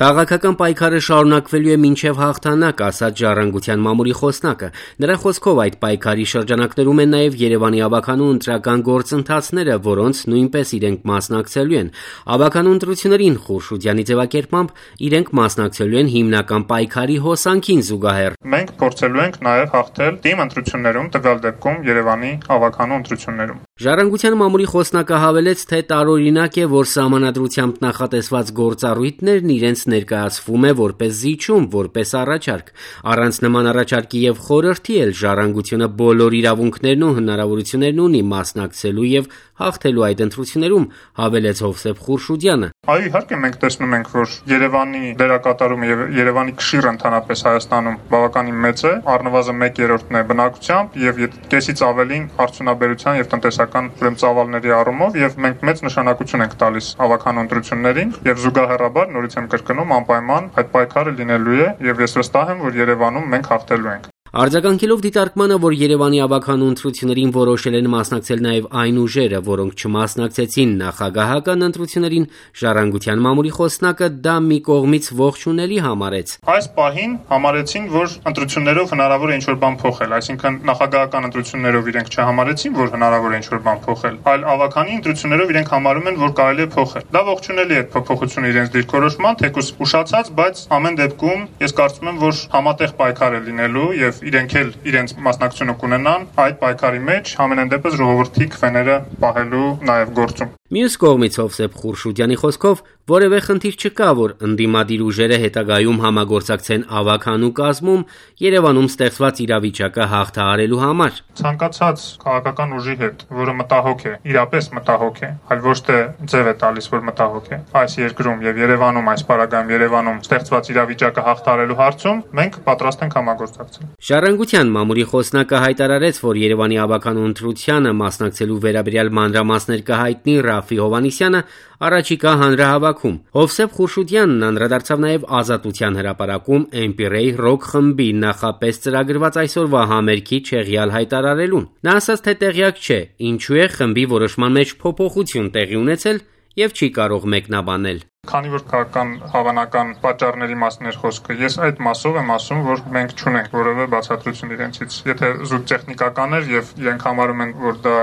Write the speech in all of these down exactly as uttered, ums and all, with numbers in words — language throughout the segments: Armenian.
Քաղաքական պայքարը շարունակվելու է մինչև հաղթանակ, ասաց Ժառանգության մամուլի խոսնակը։ Նրա խոսքով այդ պայքարի շրջանակներում են նաև Երևանի ավագանու ընտրական գործընթացները, որոնց նույնպես իրենք մասնակցելու են։ Ավագանու ընտրություններին Խուրշուդյանի ձևակերպմամբ իրենք մասնակցելու են հիմնական պայքարի հոսանքին զուգահեռ։ Մենք փորձելու ենք նաև հաղթել թիմ ընտրություններում, տվյալ դեպքում Երևանի ավագանու ընտրություններում։ Ժառանգության մամուլի խոսնակը հավելեց, թե տարօրինակ է, որ սահմանադրությամբ նախատեսված գործառույթներն իրենց ներկայացվում է որպես զիջում, որպես առաջարկ։ Առանց նման առաջարկի եւ խորհրդի էլ Ժառանգությունը բոլոր իրավունքներն ու հնարավորություններն ունի մասնակցելու եւ հաղթելու այդ ընտրություններում, հավելեց Հովսեփ Խուրշուդյանը։ Այո, իհարկե մենք տեսնում ենք, որ Երևանի դերակատարումը եւ Երևանի քշիռը ընդհանրապես Հայաստանում բավականին մեծ է, առնվազն մեկ երրորդն է բնակությամբ եւ կեսից ավելին արդյունաբերության եւ տնտեսական ուրեմն ծավալների առումով, եւ մենք մեծ նշանակություն ենք տալիս ավագանու ընտրություններին եւ զուգահեռաբար նորից եմ կրկնում անպայման այդ պայքարը լինելու է եւ ես վստահ եմ, որ Երևանում մենք հաղթելու ենք։ Արձագանքելով դիտարկմանը, որ Երևանի ավագանու ընտրություններին որոշել են մասնակցել նաև այն ուժերը, որոնք չմասնակցեցին նախագահական ընտրություններին, Ժառանգության մամուլի խոսնակը դա մի կողմից ողջունելի համարեց։ Այս պահին համարեցին, որ ընտրություններով հնարավոր է ինչ-որ բան փոխել, այսինքն նախագահական ընտրություններով իրենք չհամարեցին, որ հնարավոր է ինչ-որ բան փոխել, այլ ավագանի ընտրություններով իրենք համարում են, որ կարելի է փոխել։ Դա ողջունելի է փոփոխությունը իրենց դիրքորոշման, թեկուզ ուշացած, բայց ամեն դեպքում ես կարծում եմ, որ համատեղ պայքար է լինելու եւ իրենք էլ իրենց մասնակցությունը կունենան այդ պայքարի մեջ, ամենայն դեպս ժողովրդի քվեները պահելու նաև գործում։ Մյուս կողմից Հովսեփ Խուրշուդյանի խոսքով որևէ խնդիր չկա, որ ընդդիմադիր ուժերը հետագայում համագործակցեն ավագանու կազմում Երևանում ստեղծված իրավիճակը հաղթահարելու համար։ Ցանկացած քաղաքական ուժի հետ, որը մտահոգ է, իրապես մտահոգ է, այլ ոչ թե ձև է տալիս, որ մտահոգ է, այս երկրում եւ Երևանում, այս պարագայում Երևանում ստեղծված իրավիճակը հաղթահարելու հարցում մենք պատրաստ ենք համագործակցել։ Ժառանգության մամուլի խոսնակը հայտարարեց, որ Երևանի ավագանու ընտրությանը մասնակցելու վերաբերյալ մանրամասներ կհայտնի Ռաֆի Հովհաննիսյանը առաջիկա հանրահավաքում։ Հովսեփ Խուրշուդյանն անդրադարձավ նաև Ազատության հրապարակում Էմպիրեյ ռոք խմբի նախապես ծրագրված այսօրվա համերգի չեղյալ հայտարարելուն։ Նա ասաց, թե տեղյակ չէ, ինչու է խմբի որոշման մեջ փոփոխություն տեղի ունեցել եւ չի կարող մեկնաբանել։ Քանի որ քաղաքական հավանական պատճառների մասին էր խոսքը, ես այդ մասով եմ ասում, որ մենք չունենք որևէ բացատրություն իրենցից։ Եթե զուտ տեխնիկական էր եւ իրենք համարում են, որ դա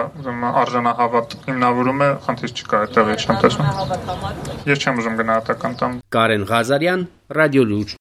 արժանահավատ հիմնավորում է, խնդիր չկա, այդտեղ չեմ տեսնում։ Ես չեմ ուզում գնահատական տամ։ Կարեն Ղազարյան, Ռադիո Լուր։